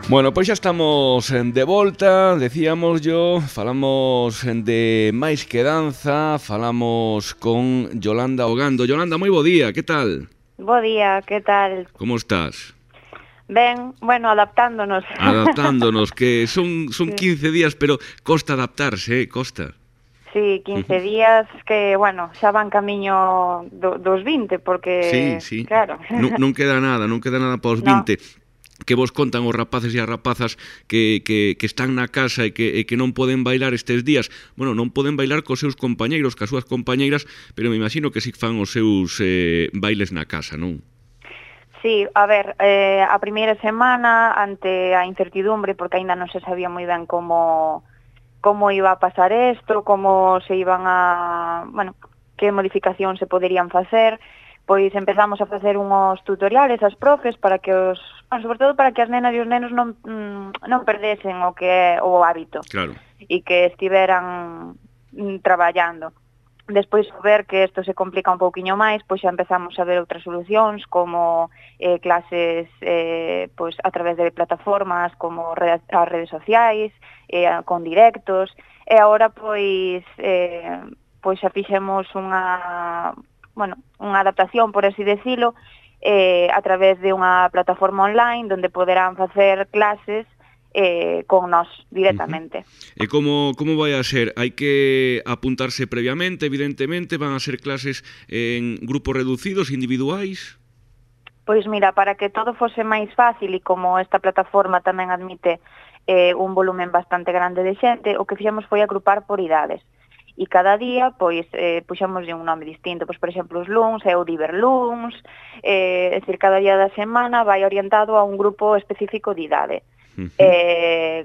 Bueno, pois xa estamos de volta, decíamos yo, falamos de máis que danza, falamos con Yolanda Ogando. Yolanda, moi bo día, que tal? Bo día, que tal? Como estás? Ben, bueno, adaptándonos. Adaptándonos, que son Sí, 15 días, pero costa adaptarse, costa. sí, 15 días que, bueno, xa van camiño dos 20, Sí, porque, sí, claro, non queda nada para os no, 20. Que vos contan os rapaces e as rapazas que están na casa e que non poden bailar estes días. Bueno, non poden bailar cos seus compañeiros, cas súas compañeiras, pero me imagino que si fan os seus bailes na casa, non? sí, a ver, a primeira semana, ante a incertidumbre, porque aínda non se sabía moi ben como iba a pasar isto, como se iban a, bueno, que modificacións se poderían facer, pois empezamos a facer unhos tutoriales as profes para que bueno, sobre todo para que as nenas e os nenos non perdesen o que é o hábito Claro. e que estiveran traballando. Despois, ao ver que isto se complica un pouquiño máis, pois xa empezamos a ver outras solucións, como clases pois a través de plataformas como as redes sociais, con directos, e agora pois xa fixemos unha adaptación, por así decilo, a través de unha plataforma online onde poderán facer clases con nós directamente. E como vai a ser? Hai que apuntarse previamente, evidentemente, van a ser clases en grupos reducidos, individuais? Pois mira, para que todo fose máis fácil e como esta plataforma tamén admite un volumen bastante grande de xente, o que fixemos foi agrupar por idades. E cada día, pois, puxémoslle un nome distinto. Pois, por exemplo, os luns é o Diverluns, é dicir, cada día da semana vai orientado a un grupo específico de idade.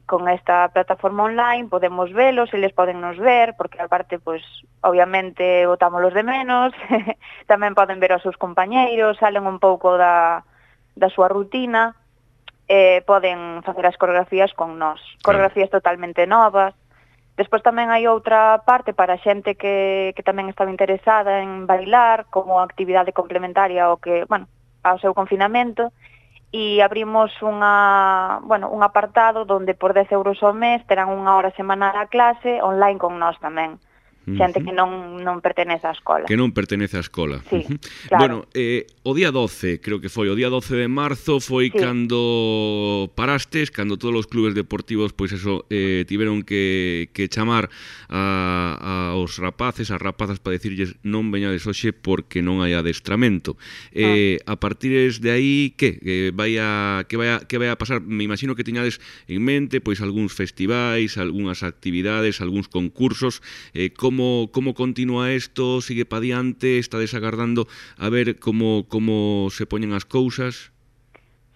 Con esta plataforma online podemos velos, eles poden nos ver, porque aparte, pois, obviamente, botámolos de menos, tamén poden ver os seus compañeiros, salen un pouco da súa rutina, poden facer as coreografías con nós, coreografías totalmente novas. Despois tamén hai outra parte para a xente que tamén estaba interesada en bailar como actividade complementaria ao seu confinamento, e abrimos un apartado onde por 10 euros ao mes terán unha hora semanal a clase online con nós tamén. Xente que non pertenece á escola. Que non pertenece á escola. Sí, claro. Bueno, o día 12, creo que foi, o día 12 de marzo foi cando parastes, cando todos os clubes deportivos, pois eso, tiveron que chamar aos rapaces, as rapazas, para dicirlles non veñades hoxe porque non hai adestramento. A partir de aí, que vai a pasar? Me imagino que tiñades en mente pois algúns festivais, algunhas actividades, algúns concursos. Como continúa isto? Sigue pa diante? Estades agardando a ver como se poñen as cousas?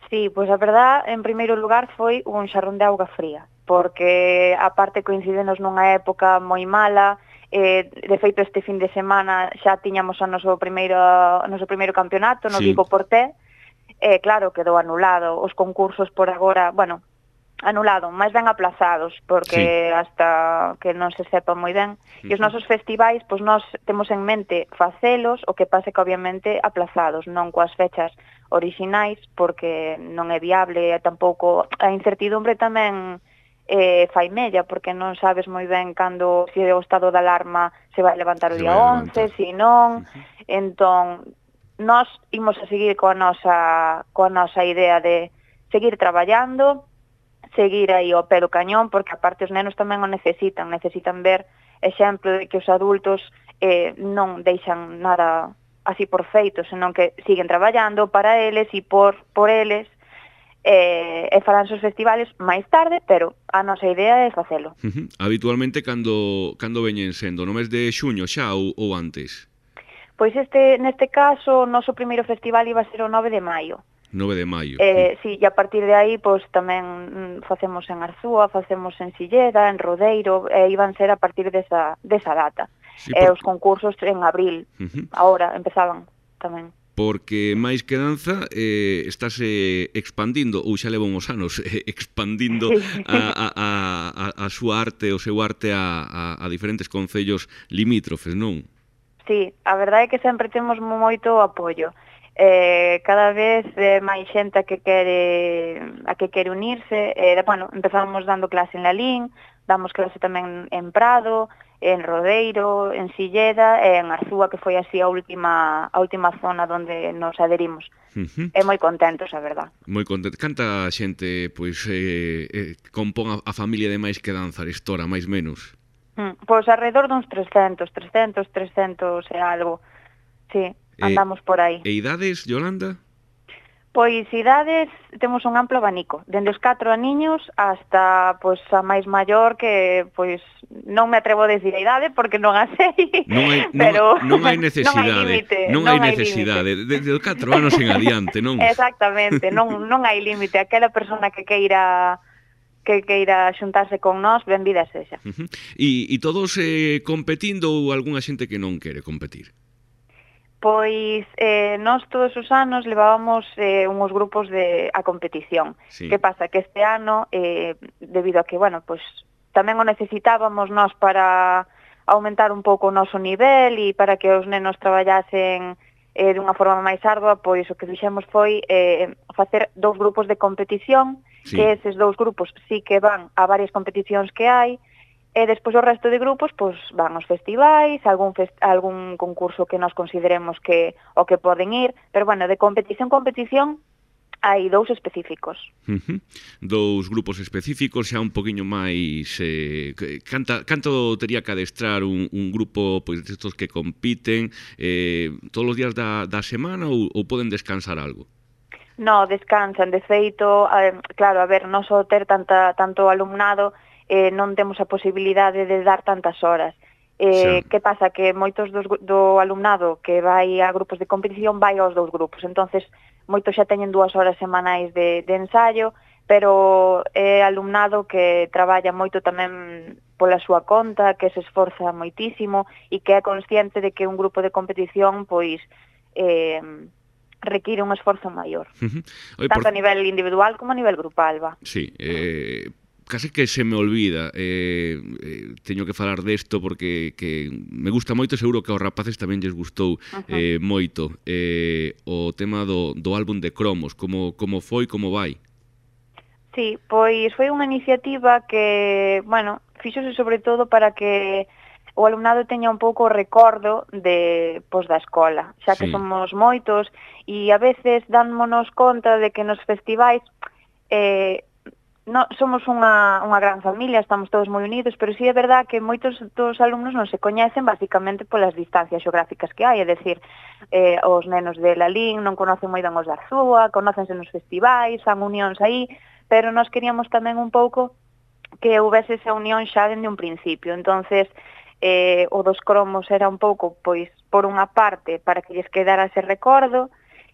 Sí, pois a verdad, en primeiro lugar, foi un xarrón de auga fría, porque aparte coincidenos nunha época moi mala, de feito este fin de semana xa tiñamos o noso primeiro campeonato no Vigo Porté, e claro, quedou anulado. Os concursos por agora, bueno, anulado, máis ben aplazados, porque hasta que non se sepa moi ben. E os nosos festivais, pois nós temos en mente facelos, o que pase que obviamente aplazados, non coas fechas orixinais, porque non é viable, e tampouco a incertidumbre tamén fai mella, porque non sabes moi ben cando, se o estado de alarma se vai levantar o día 11, se non. Entón, nós imos a seguir coa nosa idea de seguir traballando, seguir aí ao pé do cañón, porque aparte os nenos tamén o necesitan ver exemplo de que os adultos non deixan nada así por feito, senón que siguen traballando para eles e por eles, e farán os festivales máis tarde, pero a nosa idea é facelo. Habitualmente cando veñen sendo? No mes de xuño xa ou antes? Pois neste caso, o noso primeiro festival iba a ser o 9 de maio. 9 de maio. Sí, e a partir de aí, pois tamén facemos en Arzúa, facemos en Silleda, en Rodeiro, e iban ser a partir desa data. E os concursos en abril, agora empezaban tamén. Porque máis que danza estáse expandindo, ou xa leva uns anos expandindo a súa arte, o seu arte a diferentes concellos limítrofes, non? Sí, a verdade é que sempre temos moito apoio. Cada vez máis xente a que quere unirse. Bueno, empezamos dando clase en Lalín, damos clase tamén en Prado, en Rodeiro, en Silleda e en Arzúa, que foi así a última zona onde nos adherimos. E moi contentos, a verdad. Moi contento. Canta xente pois compón a familia de Máis que Danza Arestora, máis menos? Pois alrededor duns 300 e algo. Sí, andamos por aí. E idades, Yolanda? Pois idades, temos un amplo abanico, dende os 4 aniños hasta pois a máis maior, que pois non me atrevo a decir a idade porque non a sei, pero non hai necesidade, non hai necesidade, desde os 4 anos en adiante, non? Exactamente, non hai límite, aquela persona que queira xuntarse con nós, benvida sexa. E todos competindo ou algunha xente que non quere competir? Pois nós todos os anos levábamos unhos grupos a competición. Sí. Que pasa? Que este ano, debido a que, bueno, pois tamén o necesitábamos nós para aumentar un pouco o noso nivel e para que os nenos traballasen dunha forma máis ardua, pois o que fixemos foi facer 2 grupos de competición, sí. Que eses 2 grupos sí que van a varias competicións que hai, e despois o resto de grupos pois van aos festivais, algún concurso que nos consideremos que o que poden ir, pero bueno, de competición hai 2 específicos. 2 grupos específicos, xa un poquinho máis canto tería que adestrar un grupo pois destos que compiten todos os días da semana ou poden descansar algo? No, descansan, de feito, claro, a ver, non só ter tanto alumnado, non temos a posibilidade de dar tantas horas. Que pasa? Que moitos do alumnado que vai a grupos de competición vai aos 2 grupos, entonces moitos xa teñen 2 horas semanais de ensaio, pero é alumnado que traballa moito tamén pola súa conta, que se esforza moitísimo e que é consciente de que un grupo de competición pois require un esforzo maior, tanto a nivel individual como a nivel grupal, va. Sí, case que se me olvida, teño que falar desto porque que me gusta moito, seguro que aos rapaces tamén lles gustou moito o tema do álbum de cromos, como foi, como vai? Sí, pois foi unha iniciativa que, bueno, fíxose sobre todo para que o alumnado teña un pouco o recordo da escola, xa que somos moitos e a veces dámonos conta de que nos festivais somos unha gran familia, estamos todos moi unidos, pero sí é verdad que moitos dos alumnos non se coñecen basicamente polas distancias xeográficas que hai, é dicir, os nenos de Lalín non conocen moi ben os de Arzúa, conócense nos festivais, fan unións aí, pero nós queríamos tamén un pouco que houvese esa unión xa dende un principio, entonces o dos cromos era un pouco, pois, por unha parte, para que lles quedara ese recordo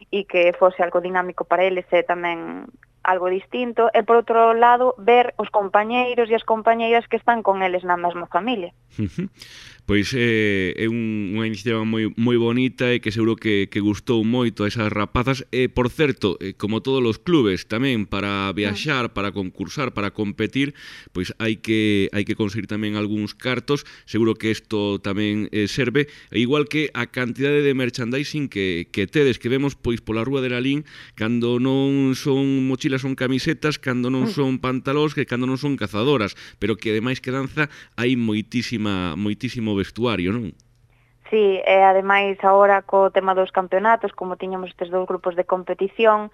e que fose algo dinámico para eles e tamén algo distinto, e por outro lado, ver os compañeiros e as compañeiras que están con eles na mesma familia. Pois é unha iniciativa moi bonita e que seguro que gustou moito a esas rapazas. Por certo, como todos os clubes tamén, para viaxar, para concursar, para competir, pois hai que conseguir tamén algúns cartos. Seguro que isto tamén serve, igual que a cantidade de merchandising que tedes, que vemos pois pola rúa de Lalín, cando non son mochilas son camisetas, cando non son pantalóns, que cando non son cazadoras, pero que ademais que danza hai moitísimo vestuario, non? Sí, e ademais agora co tema dos campeonatos, como tiñamos estes 2 grupos de competición,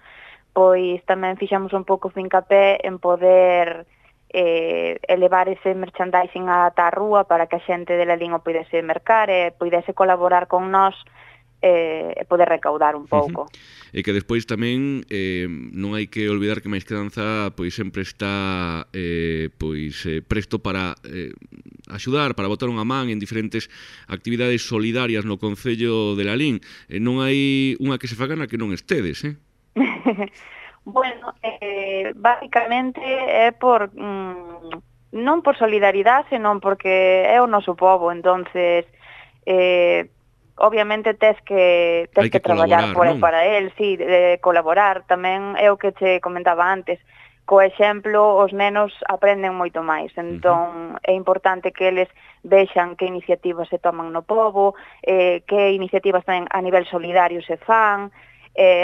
pois tamén fixamos un pouco fincapé en poder elevar ese merchandising ata a rúa para que a xente de Lalín o pudese mercar e pudese colaborar con nós e poder recaudar un pouco. E que despois tamén non hai que olvidar que Máis que Danza pois sempre está presto para axudar, para botar unha man en diferentes actividades solidarias no Concello de Lalín. Non hai unha que se faga na que non estedes, Bueno, básicamente é por non por solidaridade, senón porque é o noso pobo, entonces obviamente tes que traballar para el, sí, de colaborar. Tamén é o que che comentaba antes, co exemplo os nenos aprenden moito máis, entón é importante que eles vexan que iniciativas se toman no pobo, que iniciativas tamén a nivel solidario se fan,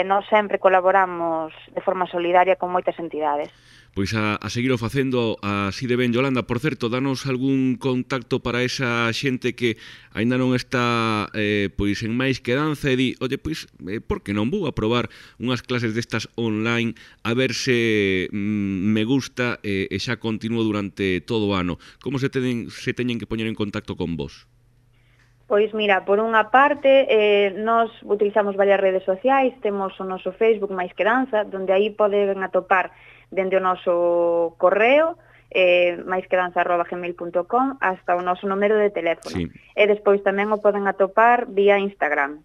nós sempre colaboramos de forma solidaria con moitas entidades. Pois a seguir o facendo así de ben, Yolanda. Por certo, danos algún contacto para esa xente que aínda non está pois en Máis que Danza e di, oye, pois, por que non vou a probar unhas clases destas online a ver se me gusta e xa continuo durante todo o ano. Como se teñen que poñer en contacto con vos? Pois mira, por unha parte, nós utilizamos varias redes sociais, temos o noso Facebook Máis que Danza, donde aí poden atopar dende o noso correo, maisquedanza@gmail.com, hasta o noso número de teléfono. Sí. E despois tamén o poden atopar vía Instagram.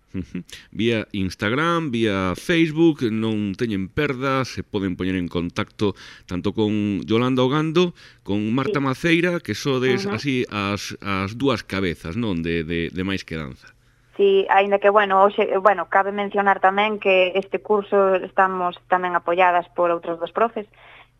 Vía Instagram, vía Facebook, non teñen perdas, se poden poñer en contacto tanto con Yolanda Ogando, con Marta Maceira, que sodes así as dúas cabezas, non, de Máis que Danza. Sí, aínda que, cabe mencionar tamén que este curso estamos tamén apoiadas por outros dos profes,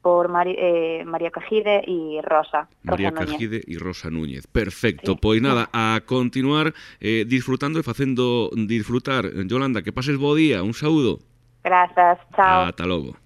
por María Cajide e Rosa Cajide e Rosa Núñez. Perfecto, sí. Pois nada, a continuar disfrutando e facendo disfrutar. Yolanda, que pases bo día, un saúdo. Grazas, chao. Ata logo.